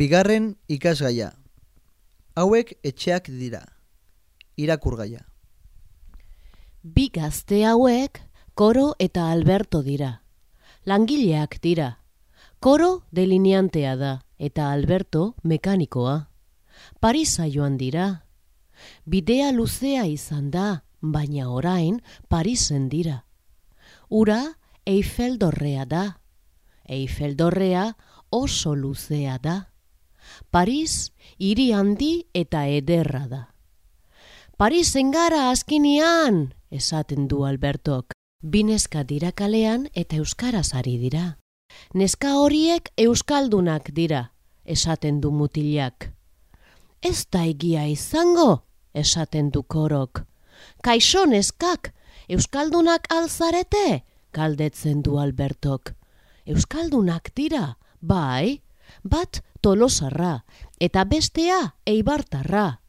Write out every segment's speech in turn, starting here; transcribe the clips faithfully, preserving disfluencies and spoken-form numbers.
Bigarren ikasgaia. Hauek etxeak dira. Irakurgaia. Bi gazte hauek Koro eta Alberto dira. Langileak dira. Koro delineantea da eta Alberto mekanikoa. Parisa joan dira. Bidea luzea izan da, baina orain Parisen dira. Ura Eiffel dorrea da. Eiffel dorrea oso luzea da. Paris hiri handi eta ederra da. Parisen gara azkinian, esaten du Albertok. Bi neska dira kalean eta euskaraz ari dira. Neska horiek euskaldunak dira, esaten du mutilak. Ez da egia izango, esaten du Korok. Kaixo neskak, euskaldunak alzarete, galdetzen du Albertok. Euskaldunak dira, bai, bat Tolosarra eta bestea Eibartarra.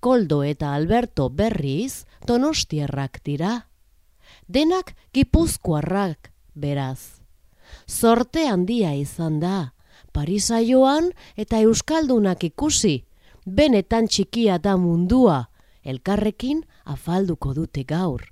Koldo eta Alberto berriz Donostiarrak dira. Denak Gipuzkoarrak, beraz. Zorte handia izan da, Parisa joan eta euskaldunak ikusi. Benetan txikia da mundua, elkarrekin afalduko dute gaur.